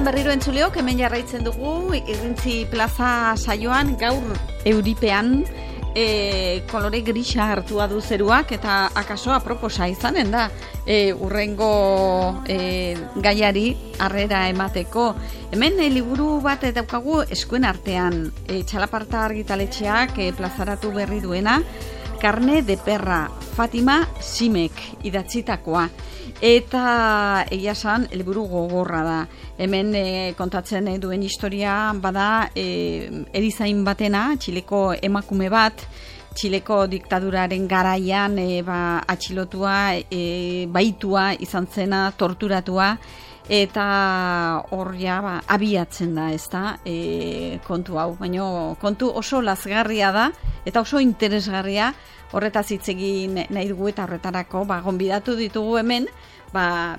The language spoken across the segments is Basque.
berriro entzuleok, hemen jarraitzen dugu, Irrintzi plaza saioan, gaur euripean, kolore grisa hartua du zeruak, eta akaso aproposa izanen da, urrengo gaiari harrera emateko. Hemen liburu bat daukagu eskuen artean, Txalaparta argitaletxeak plazaratu berri duena, Carne de perra, Fatima Simek idatzitakoa. Eta egia esan, liburu gogorra da. Hemen kontatzen duen historia bada erizain batena, Txileko emakume bat, Txileko diktaduraren garaian atxilotua, baitua izan zena, torturatua, eta hor ja abiatzen da, ezta, kontu hau. Baina kontu oso lazgarria da, eta oso interesgarria, horretaz hitz egin nahi dugu eta horretarako gonbidatu ditugu hemen,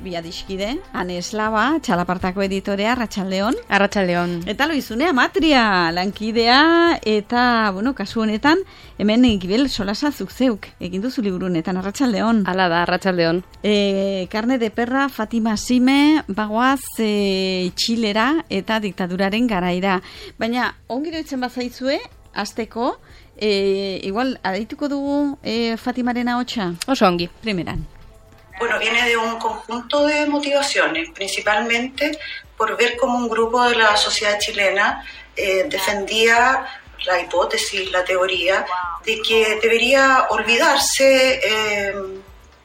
bi adiskide, Ane Eslaba, Txalapartako editorea, Arratsaldeon. Arratsaldeon. Eta Loizune Amatria, lankidea, eta, kasu honetan, hemen Gibel Solasa zuk zeuk, egin duzu liburu honetan, Arratsaldeon. Hala da, Arratsaldeon. Carne de perra, Fatima Sime, bagoaz Txilera eta diktaduraren garaira. Baina, ongiro itzen bazaizue, azteko, igual, adaituko dugu Fatimaren ahotsa? Oso ongi. Primeran. Bueno, viene de un conjunto de motivaciones, principalmente por ver cómo un grupo de la sociedad chilena defendía la hipótesis, la teoría, de que debería olvidarse,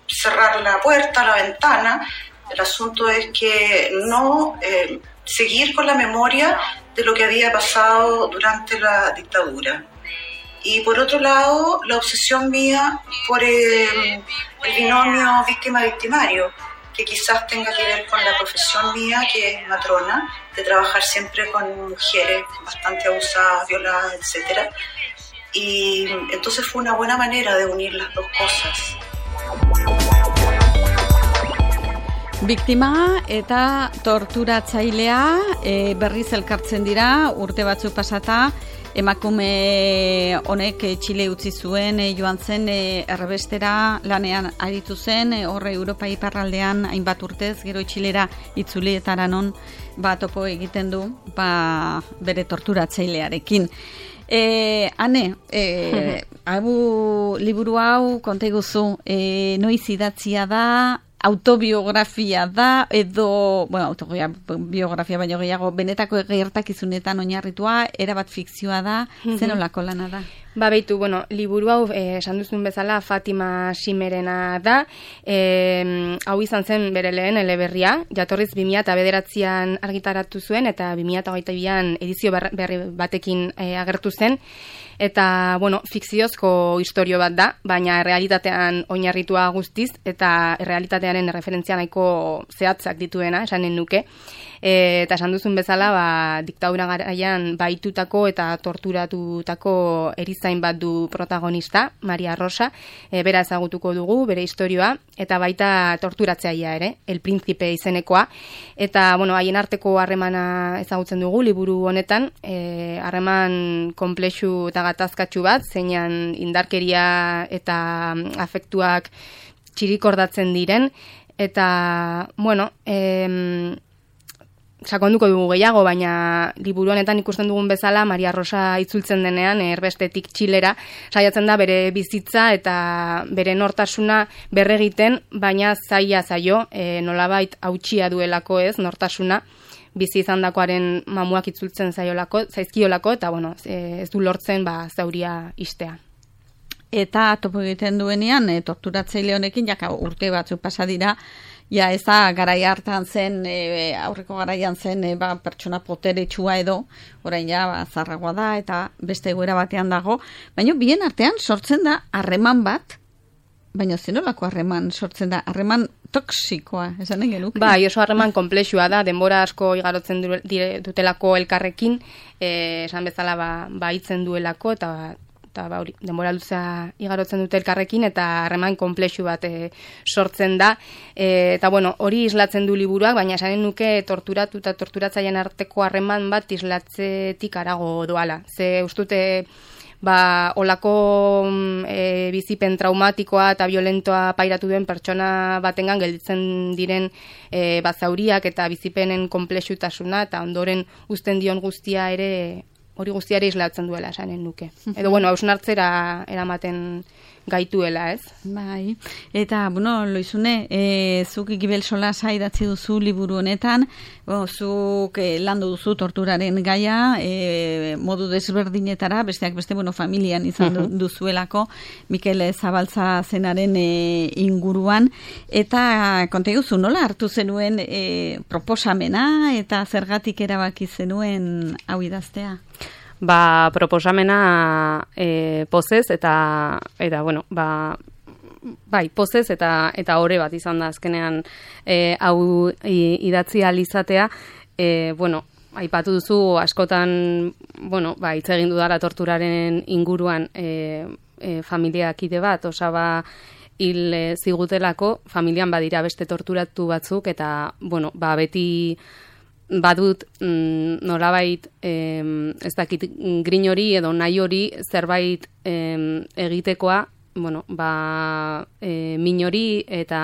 cerrar la puerta, la ventana. El asunto es que no seguir con la memoria de lo que había pasado durante la dictadura. Y por otro lado, la obsesión mía por el binomio víctima-victimario, que quizás tenga que ver con la profesión mía, que es matrona, de trabajar siempre con mujeres bastante abusadas, violadas, etc. Y entonces fue una buena manera de unir las dos cosas. Biktima eta torturatzailea berriz elkartzen dira, urte batzuk pasata, emakume honek Txile utzi zuen, joan zen errebestera lanean aritu zen, horre Europa iparraldean hainbat urtez, gero Txilera itzuli eta non topo egiten du bere torturatzailearekin. Ane, liburu hau konta iguzu, noiz idatzia da, autobiografia da, edo, autobiografia baino gehiago, benetako gertakizunetan oinarritua, erabat fikzioa da, zenolako lana da? Beitu, liburu hau, esan duzun bezala, Fatima Simerena da, hau izan zen bere lehen eleberria, jatorriz 2009an argitaratu zuen, eta 2022an edizio berri batekin agertu zen, eta, fikziozko istorio bat da, baina realitatean oinarritua guztiz, eta realitatearen referentzia nahiko zehatzak dituena, esanen nuke. Eta esan duzun bezala, diktadura garaian baitutako eta torturatutako erizain bat du protagonista, Maria Rosa, bera ezagutuko dugu, bere istorioa, eta baita torturatzailea ere, El Príncipe izenekoa, eta, haien arteko harremana ezagutzen dugu, liburu honetan, harreman konplexu eta gatazkatsu bat, zeinan indarkeria eta afektuak txirikordatzen diren, eta, sakonduko dugu gehiago, baina liburu honetan ikusten dugun bezala, Maria Rosa itzultzen denean, erbestetik Txilera, saiatzen da bere bizitza eta bere nortasuna berregiten, baina zaio, nolabait hautsia duelako nortasuna, bizi izandakoaren mamuak itzultzen zaizkiolako, eta ez du lortzen zauria istea. Eta topo egiten duenean, torturatzaile honekin, urte batzuk pasa dira, ez da garai hartan zen, aurreko garaian zen, pertsona poteretsua edo, orain zarragoa da, eta beste egoera batean dago, baina bien artean sortzen da harreman bat, baina zenolako harreman sortzen da, harreman toksikoa, esanen genuke? Oso harreman konplexua da, denbora asko igarotzen dutelako elkarrekin, esan bezala hitzen duelako, eta denbora luzea igarotzen dute elkarrekin, eta harreman konplexu bat sortzen da. Eta hori islatzen du liburuak, baina esanen nuke torturatu eta torturatzaileen arteko harreman bat islatzetik harago doala. Ze ustute olako bizipen traumatikoa eta violentoa pairatu duen pertsona batengan gelditzen diren zauriak eta bizipenen konplexutasuna eta ondoren uzten dion guztia ere hori guztiare islatzen duela esanen nuke. Edo, hausnartzera eramaten gaituela, ez? Bai, eta, Loizune, zuk Gibel Solasa idatzi duzu liburu honetan, zuk landu duzu torturaren gaia, modu desberdinetara, besteak beste, familian izan duzuelako, Mikel Zabaltza zenaren inguruan, eta konta iguzu, nola hartu zenuen proposamena, eta zergatik erabaki zenuen hau idaztea? Proposamena pozez eta pozez eta ore bat izan da azkenean hau idatzi ahal izatea. Aipatu duzu askotan, hitz egin dudala torturaren inguruan familiakide bat, osaba hil zigutelako, familian badira beste torturatu batzuk eta, beti badut nolabait ez dakit grin hori edo nahi hori zerbait egitekoa, min hori eta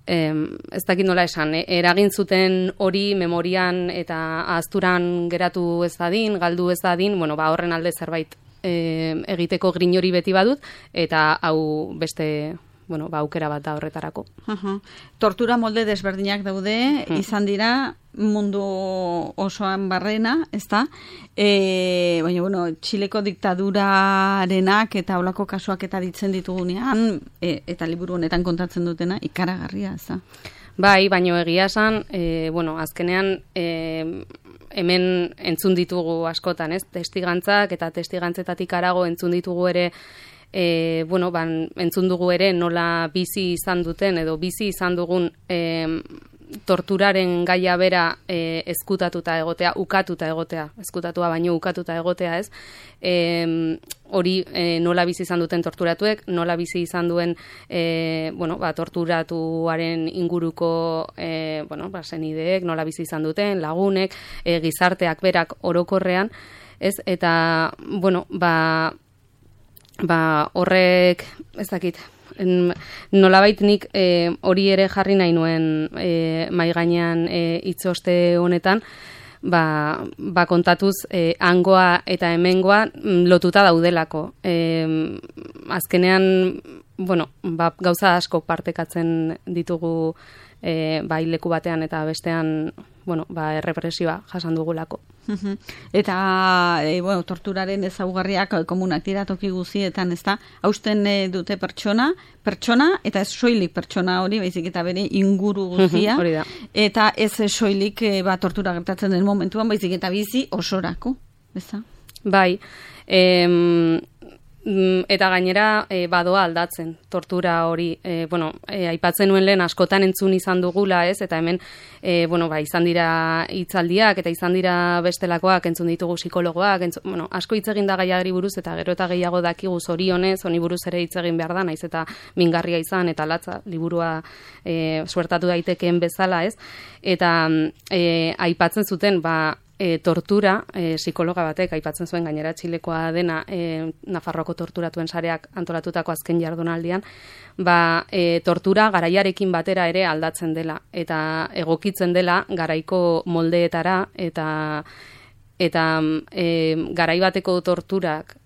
ez dakit nola esan, eragin zuten hori memorian eta ahazturan geratu ez dadin, galdu ez dadin, horren alde zerbait egiteko grin hori beti badut eta hau beste aukera bat da horretarako. Tortura molde desberdinak daude, izan dira mundu osoan barrena, ezta? Baina, Txileko diktadurarenak eta olako kasuak eta ditzen ditugunean, eta liburu honetan kontatzen dutena, ikaragarria, ezta? Bai, baina egia esan, azkenean hemen entzun ditugu askotan, ez? Testigantzak eta testigantzetatik harago entzun ditugu ere entzun dugu ere nola bizi izan duten edo bizi izan dugun torturaren gaia bera ezkutatuta egotea, ukatuta egotea, ezkutatua baino ukatuta egotea, ez? Hori nola bizi izan duten torturatuek, nola bizi izan duen torturatuaren inguruko senideek, nola bizi izan duten, lagunek, gizarteak berak orokorrean, ez? Eta, horrek, ez dakit, nolabait nik hori ere jarri nahi nuen mahai gainean hitzoste honetan, kontatuz hangoa eta hemengoa lotuta daudelako. Azkenean, gauza asko partekatzen ditugu leku batean eta bestean errepresioa jasan dugulako. Eta, torturaren ezaugarriak komunak dira toki guztietan, ezta? Hausten dute pertsona eta ez soilik pertsona hori, baizik eta bere inguru guztia. Hori da. Eta ez soilik tortura gertatzen den momentuan, baizik eta bizi osorako, ezta? Bai, eta gainera badoa aldatzen tortura hori, aipatzen nuen lehen askotan entzun izan dugula, ez? Eta hemen izan dira hitzaldiak eta izan dira bestelakoak, entzun ditugu psikologoak, asko hitz egin da gaiari buruz eta gero eta gehiago dakigu zorionez, honi buruz ere hitz egin behar da, naiz eta mingarria izan eta latza liburua suertatu daitekeen bezala, ez? Eta aipatzen zuten, tortura, psikologa batek aipatzen zuen gainera Txilekoa dena Nafarroako torturatuen sareak antolatutako azken jardunaldian, tortura garaiarekin batera ere aldatzen dela eta egokitzen dela garaiko moldeetara eta garai bateko torturak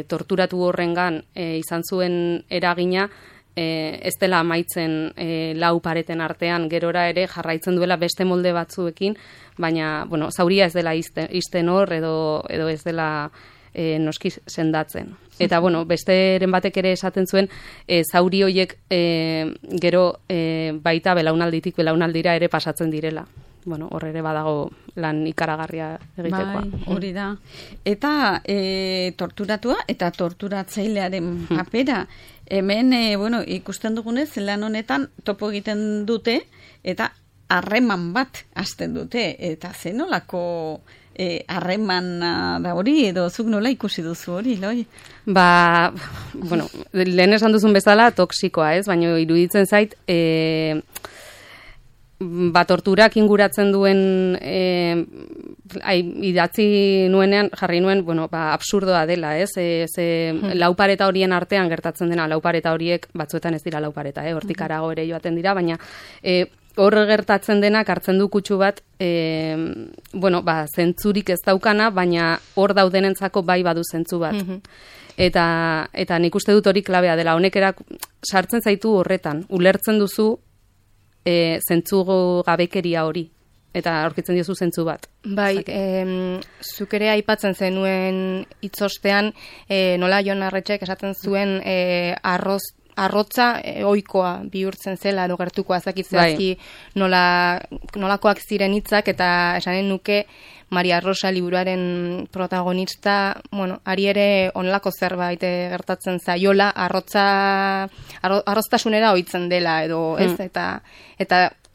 torturatu horrengan izan zuen eragina ez dela amaitzen lau pareten artean, gerora ere jarraitzen duela beste molde batzuekin, baina, zauria ez dela izten hor edo ez dela noski sendatzen. Eta, besteren batek ere esaten zuen, zauri horiek gero baita belaunalditik belaunaldira ere pasatzen direla. Hor ere badago lan ikaragarria egitekoa. Bai, hori da. Eta torturatua eta torturatzailearen papera, hemen, ikusten dugunez, lan honetan topo egiten dute eta harreman bat hasten dute. Eta zenolako harreman da hori, edo zuk nola ikusi duzu hori, Loi? Lehen esan duzun bezala toksikoa, ez? Baina iruditzen zait, torturak inguratzen duen idatzi nuenean, jarri nuen, bueno, absurdoa dela, ez? Laupareta horien artean gertatzen dena, laupareta horiek batzuetan ez dira laupareta, hortik arago ere joaten dira, baina hor gertatzen denak hartzen du kutsu bat, zentzurik ez daukana, baina hor daudenentzako bai badu zentzu bat. Eta nik uste dut hori klabea dela, honek sartzen zaitu horretan, ulertzen duzu zentzu gabekeria hori, eta aurkitzen diozu zentzu bat. Bai, zuk ere aipatzen zenuen hitzostean, nola Jon Arretxek esaten zuen arrotza ohikoa bihurtzen zela, edo gertuko azakitzeazki nolakoak ziren hitzak, eta esanen nuke Maria Rosa liburuaren protagonista, ari ere onlako zerbait gertatzen zaiola, arroztasunera ohitzen dela, edo ez, eta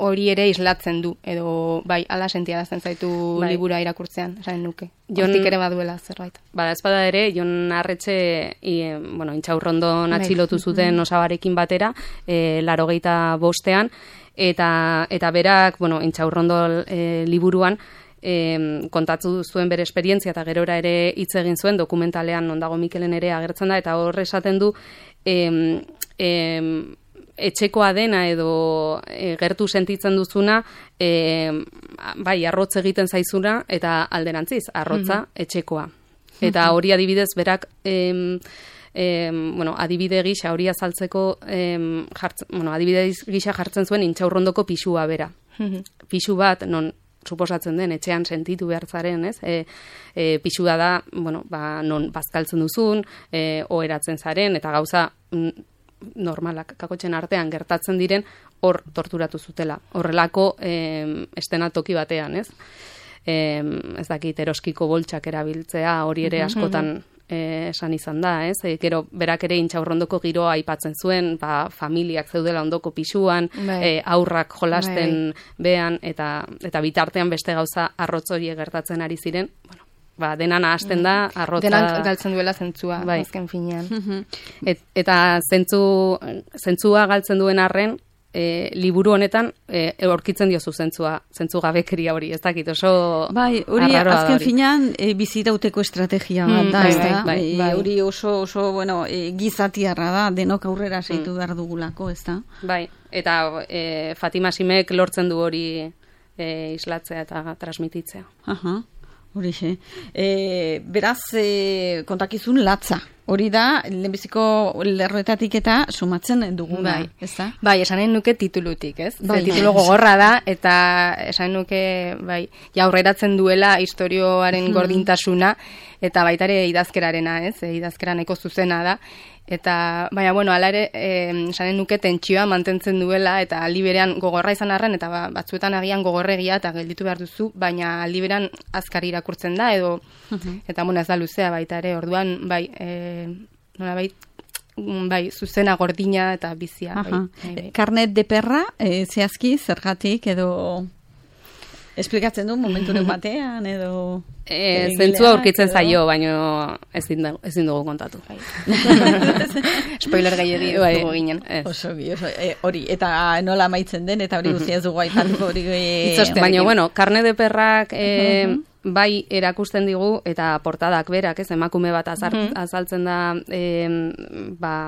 hori ere islatzen du, edo bai, ala sentiarazten zaitu liburua irakurtzean, esanen nuke. Hortik ere baduela zerbait. Ez bada ere, Jon Arretxe, Intxaurrondon atxilotu zuten Osabarekin batera, 85ean, eta berak, Intxaurrondo liburuan, kontatu zuen bere esperientzia eta gerora ere hitz egin zuen, dokumentalean non dago Mikelen ere agertzen da, eta hor esaten du etxekoa dena edo gertu sentitzen duzuna, bai, arrotz egiten zaizuna, eta alderantziz, arrotza etxekoa. Eta hori adibidez berak adibide gisa hori azaltzeko adibide gisa jartzen zuen Intxaurrondoko pisua bera. Pisu bat, non suposatzen den, etxean sentitu behar zaren, ez? Pisua da, non bazkaltzen duzun, oheratzen zaren, eta gauza normalak kakotxen artean gertatzen diren, hor torturatu zutela. Horrelako estenatoki batean, ez? Ez dakit, eroskiko boltsak erabiltzea, hori ere askotan esan izan da, ez? Gero, berak ere Intxaurrondoko giroa aipatzen zuen, familiak zeudela ondoko pisuan, aurrak jolasten behan, eta bitartean beste gauza arrotz horiek gertatzen ari ziren, dena nahasten da, arrotza... Denak galtzen duela zentzua, azken finean. Eta zentzua galtzen duen arren, liburu honetan aurkitzen diozu zentzu gabekeria hori, ez dakit, oso bai, hori azken finean bizirauteko estrategia bat da, hori oso gizatiarra da, denok aurrera seitu behar dugulako, ez da? Bai, eta Fatima Simek lortzen du hori islatzea eta transmititzea. Horixe. Beraz, kontakizun latza. Hori da, lehenbiziko lerroetatik eta sumatzen duguna, ez da? Bai, esanen nuke titulutik, ez? Titulu gogorra da, eta esanen nuke, aurreratzen duela istorioaren gordintasuna, eta baitare idazkerarena, ez? Idazkera nahiko zuzena da. Eta, baina, ala ere, esanen nuke tentsioa mantentzen duela, eta aldi berean gogorra izan arren, eta batzuetan agian gogorregia eta gelditu behar duzu, baina aldi berean azkar irakurtzen da, edo, eta ez da luzea baita ere, orduan, zuzena, gordina eta bizia. Carnet de perra, zehazki, zergatik, edo... Esplikatzen du momenturen batean, edo... Zentzua aurkitzen zaio, baina ezin dugu kontatu. Spoiler gehiagi dugu ginen. Hori, eta nola amaitzen den, eta hori guztia ez dugu aipatuko hori... Baina, Carnet de perrak... bai erakusten digu, eta portadak berak, ez, emakume bat azaltzen da,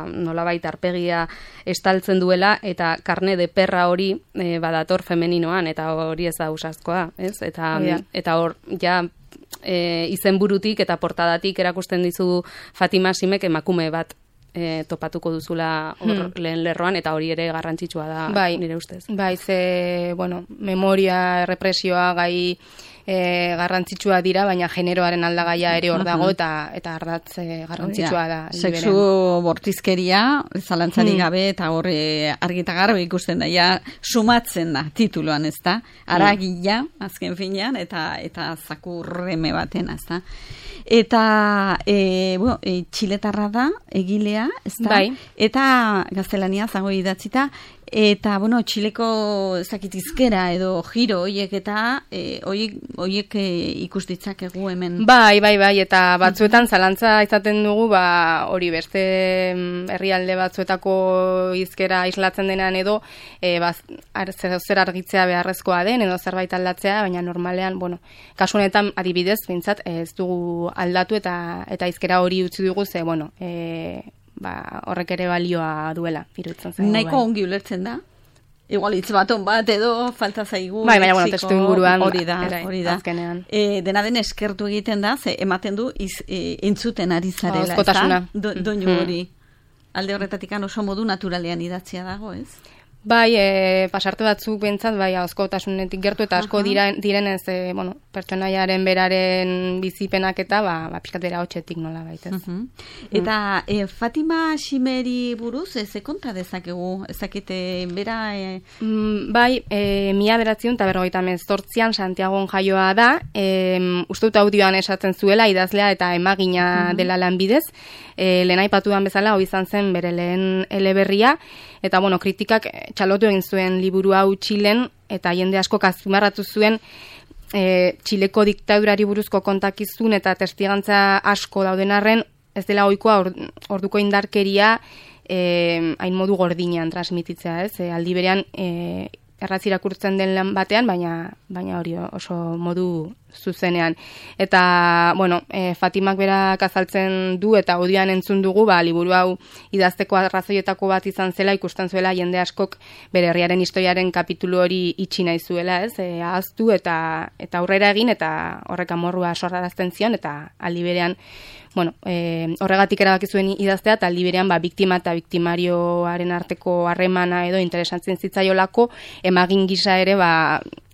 nolabait arpegia estaltzen duela, eta karne de perra hori badator femeninoan, eta hori ez da usazkoa, ez? Eta hor, ja, izenburutik eta portadatik erakusten dizu Fatima Simek emakume bat topatuko duzula lehen lerroan, eta hori ere garrantzitsua da nire ustez. Bai, memoria, represioa, gai garrantzitsua dira, baina generoaren aldagaia ere hor dago, eta ardatz garrantzitsua da. Sexu bortizkeria, zalantzarik gabe, eta hor argita garbi ikusten da, sumatzen da tituluan, ez da? Aragila, azken finean, eta zakurreme baten, ez da? Eta, txiletarra da, egilea, ez da? Eta gaztelania zango idatzita, Eta, bueno, Txileko zakitizkera edo giro horiek eta horiek ikustitzakegu hemen. Bai, eta batzuetan zalantza izaten dugu, hori beste herrialde batzuetako hizkera islatzen denean edo zer argitzea beharrezkoa den edo zerbait aldatzea, baina normalean, bueno, kasu honetan adibidez, bintzat, ez dugu aldatu eta hizkera hori utzi dugu, ze, bueno, horrek ere balioa duela, iruditzen zaigu. Nahiko ongi ulertzen da? Igual hitz baton bat edo falta zaigu. Baina, testu inguruan. Hori da. Azkenean. Dena den eskertu egiten da, ze ematen du entzuten ari zarela. Oskotasuna. Doinu hori. Alde horretatik oso modu naturalean idatzia dago, ez? Bai, pasarte batzuk bentsat, ahozkotasunetik gertu eta asko direnez, pertsonaiaren beraren bizipenak eta, pixkat bera hotxetik nola baitez. Eta Fatima Ximeri buruz, ze konta dezakegu, ezakite bera... Bai, 1948an Santiagon jaioa da, uste dut audioan esaten zuela, idazlea eta emagina dela lanbidez, lehen aipatuan bezala, hoi izan zen bere lehen eleberria, eta, kritikak txalotu egin zuen liburu hau Txilen, eta jende asko azpimarratu zuen Txileko diktadurari buruzko kontakizun eta testigantza asko dauden arren, ez dela ohikoa orduko indarkeria hain modu gordinean transmititzea, ez? Aldi berean erraz irakurtzen den lan batean, baina hori oso modu zuzenean. Eta, Fatimak berak azaltzen du eta audioan entzun dugu, liburu hau idazteko arrazoietako bat izan zela, ikusten zuela jende askok bere herriaren historiaren kapitulu hori itxi nahi zuela, ez? Ahaztu eta aurrera egin eta horrek amorrua sorrarazten zion eta aldi berean horregatik erabaki zuen idaztea eta aldi berean biktima eta biktimarioaren arteko harremana edo interesatzen zitzaiolako emagin gisa ere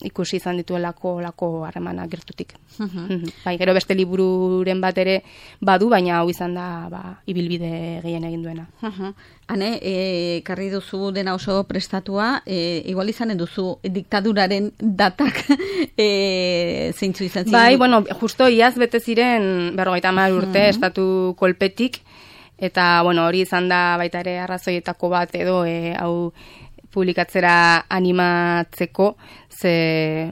ikusi izan dituelako harremana gertutik. Bai, gero beste libururen bat ere badu, baina hau izan da ibilbide gehien egin duena. Hane, karri duzu dena oso prestatua, igual izanen duzu diktaduraren datak zeintzu izan ziren? Bai, justo iaz bete ziren 50 urte estatu kolpetik, eta hori izan da baita ere arrazoietako bat edo hau publikatzera animatzeko, ze,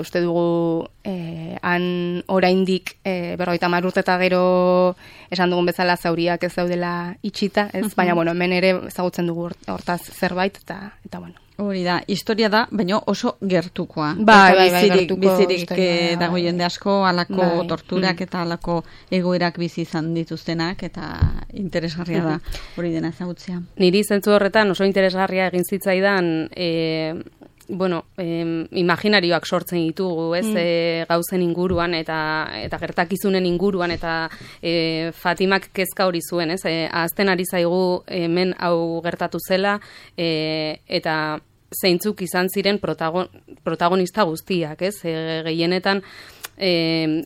uste dugu han oraindik 50 urte eta gero esan dugun bezala zauriak ez daudela itxita, ez? Baina, hemen ere ezagutzen dugu hortaz zerbait, eta Hori da, historia da, baina oso gertukoa. Gertuko bizirik dago jende asko, alako torturak eta alako egoerak bizi izan dituztenak, eta interesgarria da hori dena ezagutzea. Niri zentzu horretan oso interesgarria egin zitzaidan, imaginarioak sortzen ditugu, ez, gauzen inguruan eta gertakizunen inguruan, eta Fatimak kezka hori zuen, ez, ahazten ari zaigu hemen hau gertatu zela, eta zeintzuk izan ziren protagonista guztiak, ez, gehienetan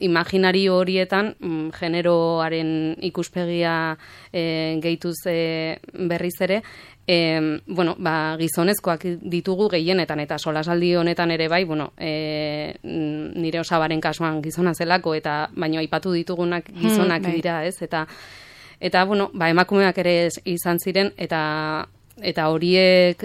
imaginario horietan generoaren ikuspegia gehituz berriz ere, gizonezkoak ditugu gehienetan, eta solasaldi honetan ere bai, nire osabaren kasuan gizona zelako, eta baino aipatu ditugunak gizonak dira, ez, eta emakumeak ere izan ziren, eta horiek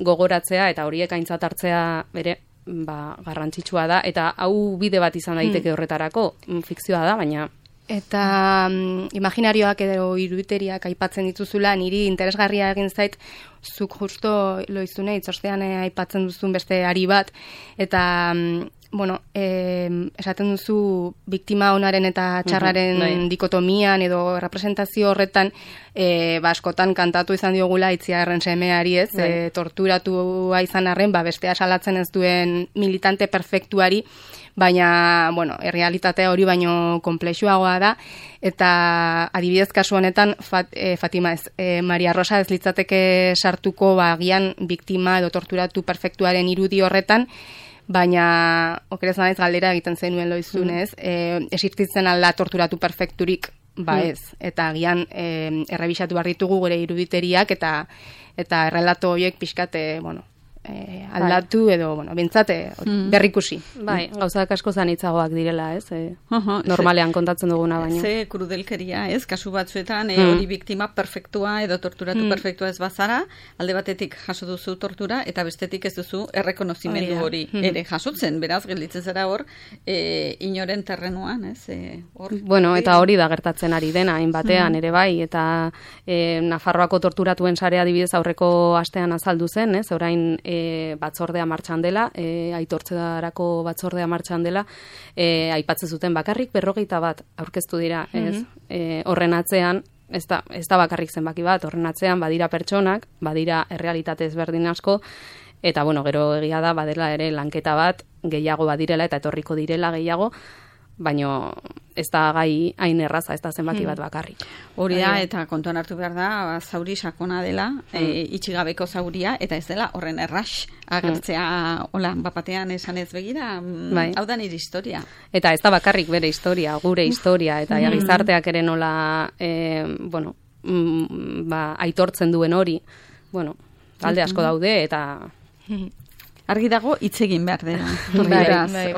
gogoratzea, eta horiek aintzat hartzea bere, garrantzitsua da, eta hau bide bat izan daiteke horretarako, fikzioa da, baina... Eta imaginarioak edo iruditeriak aipatzen dituzula, niri interesgarria egin zait, zuk justo loizune, itzortean aipatzen duzun beste ari bat, eta, esaten duzu biktima onaren eta txarraren dikotomian edo representazio horretan, askotan kantatu izan diogula Itziarren semeari, ez, torturatua izan arren, bestea salatzen ez duen militante perfektuari, baina, errealitatea hori baino konplexuagoa da, eta adibidez kasu honetan Fatima ez, Maria Rosa ez litzateke sartuko agian biktima edo torturatu perfektuaren irudi horretan, baina okerez naiz galdera egiten zenuen loizunez, existitzen alda torturatu perfekturik, ez, eta agian errebisatu behar ditugu gure iruditeriak, eta errelato horiek pixkat, aldatu edo, bueno, bintzate berrikusi. Bai, gauzak asko zanitzagoak direla, ez? Normalean kontatzen duguna baina. Ze krudelkeria, ez? Kasu batzuetan, hori biktima perfektua edo torturatu perfektua ez bazara, alde batetik jaso duzu tortura, eta bestetik ez duzu errekonozimendu hori ere jasotzen, beraz, gelditzen zara hor, inoren terrenuan, ez? Bueno, eta hori da gertatzen ari dena, hainbatean ere bai, eta Nafarroako torturatuen sarea adibidez aurreko astean azaldu zen, ez? Orain batzordea martxan dela, aitortzerako batzordea martxan dela, aipatzen zuten bakarrik 41 aurkeztu dira, ez? Horren atzean, ez da bakarrik zenbaki bat, horren atzean badira pertsonak, badira errealitate ezberdin asko, eta bueno, gero egia da badela ere lanketa bat gehiago badirela eta etorriko direla gehiago, baino ez da gai hain erraza, ez da zenbaki bat bakarrik. Hori da, eta kontuan hartu behar da, zauri sakona dela, itxigabeko zauria, eta ez dela horren erras agertzea, hola, bapatean esan ez begira, hau da nire historia. Eta ez da bakarrik bere historia, gure historia, eta gizarteak ere nola, bueno, aitortzen duen hori, bueno, alde asko daude, eta... Argi dago hitz egin behar dela.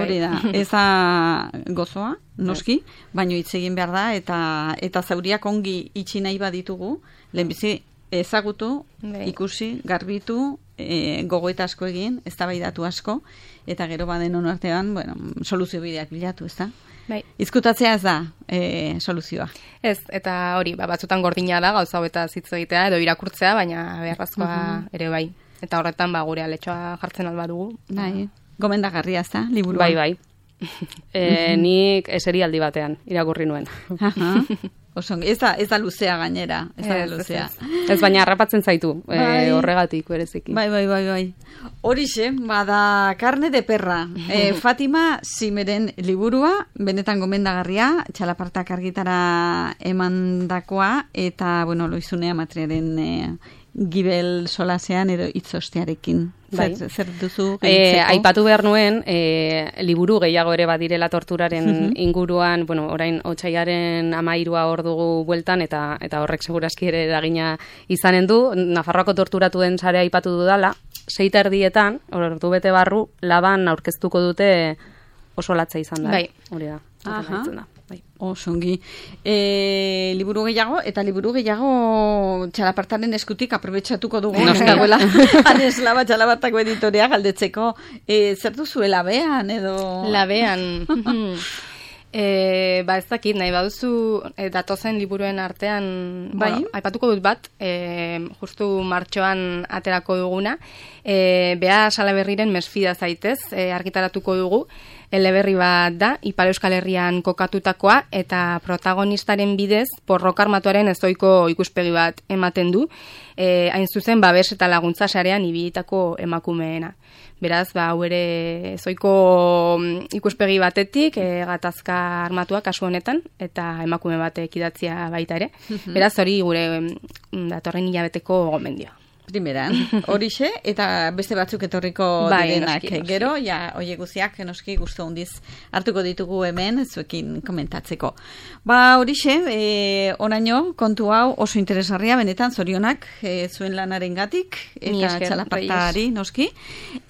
Hori da. Ez da gozoa, noski, baino hitz egin behar da, eta zauriak ongi itxi nahi baditugu, lehenbizi ezagutu, ikusi, garbitu, gogoeta asko egin, eztabaidatu asko, eta gero baden artean, bueno, soluzio bideak bilatu, ez da? Izkutatzea ez da soluzioa. Ez, eta hori, batzutan gordina da, gauza hauetaz hitz egitea, edo irakurtzea, baina beharrazkoa ere bai. Eta horretan gure aletxoa jartzen alba dugu. Bai, gomendagarria ez da, liburua. Bai. Nik eserialdi batean irakurri nuen. Ez da luzea gainera. Ez baina harrapatzen zaitu, horregatik bereziki. Bai. Horixe, bada Carne de perra. Fatima Simeren liburua, benetan gomendagarria, Txalapartak argitara emandakoa, eta, bueno, Loizunea Matriaren gibel solasean edo itzostearekin. Zer duzu gehitzeko? Aipatu behar nuen, liburu gehiago ere badirela torturaren inguruan, bueno, orain otsaiaren 13 hor dugu bueltan, eta horrek segurazki ere eragina izanen du. Nafarroako torturatuen sarea aipatu dudala, 6:30, ordu bete barru, Laban aurkeztuko dute oso latza izan da. Hori da. Osongi. Liburu gehiago, eta liburu gehiago Txalapartaren eskutik aprobetxatuko dugu. Dagoela, Aneslaba Txalapartako editorea galdetzeko. Zer duzu, labean edo? Labean. Ez dakit, nahi baduzu datozen liburuen artean, aipatuko dut bat, justu martxoan aterako duguna, Bea Salaberriren Mesfida zaitez, argitaratuko dugu, eleberri bat da, Ipar Euskal Herrian kokatutakoa, eta protagonistaren bidez, porrok armatuaren ezoiko ikuspegi bat ematen du, hain zuzen babes eta laguntza sarean ibilitako emakumeena. Beraz, hau ere ezoiko ikuspegi batetik, gatazka armatua kasu honetan, eta emakume batek idatzia baita ere. Beraz, hori gure datorren hilabeteko gomendioa. Primeran, horixe, eta beste batzuk etorriko direnak. Gero, oie guziak, noski guztu hondiz hartuko ditugu hemen, zuekin komentatzeko. Horixe, oraino, kontu hau oso interesgarria, benetan, zorionak zuen lanaren gatik, eta Txalapartari, noski,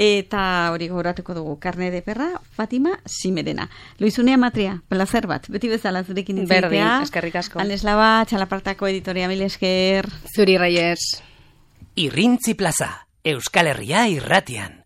eta hori gogoratuko dugu, Carne de perra, Fatima Simerena. Loizunea Matria, placer bat, beti bezala zurekin itzaitea. Berdin, eskerrik asko. Aneslaba, Txalapartako editoria, mil esker. Zuri, Reyes. Irrintzi plaza, Euskal Herria irratian.